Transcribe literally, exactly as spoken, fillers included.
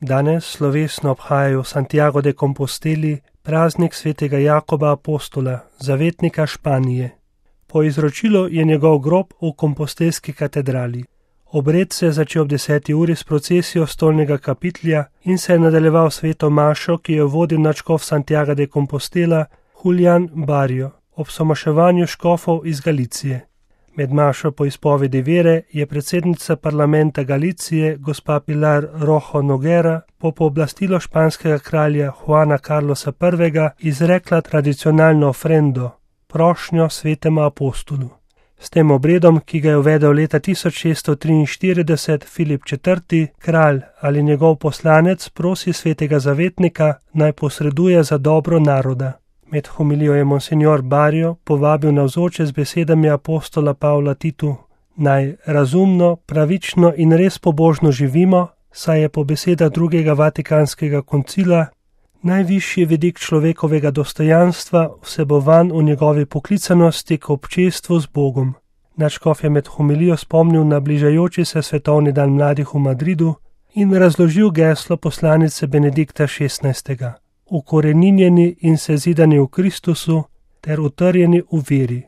Danes slovesno obhajajo v Santiago de Composteli praznik svetega Jakoba apostola, zavetnika Španije. Po izročilu je njegov grob v kompostelski katedrali. Obred se je začel ob deseti uri s procesijo stolnega kapitlja in se je nadaljeval sveto mašo, ki jo vodil nadškof Santiago de Compostela Julián Barrio ob somaševanju škofov iz Galicije. Med mašo po izpovedi vere je predsednica parlamenta Galicije gospa Pilar Rojo Noguera po pooblastilu španskega kralja Juana Carlosa prvega izrekla tradicionalno ofrendo, prošnjo svetemu apostolu. S tem obredom, ki ga je uvedel leta tisoč šeststo triinštirideset Filip četrti, kralj ali njegov poslanec prosi svetega zavetnika, naj posreduje za dobro naroda. Med homilijo je monsignor Barrio povabil navzoče z besedami apostola Pavla Titu, naj razumno, pravično in res pobožno živimo, saj je po besedah drugega vatikanskega koncila najvišji vidik človekovega dostojanstva vsebovan v njegovi poklicanosti k občestvu z Bogom. Nadškof je med homilijo spomnil na bližajoči se svetovni dan mladih v Madridu in razložil geslo poslanice Benedikta šestnajstega. Ukoreninjeni in sezidani v Kristusu ter utrjeni v veri.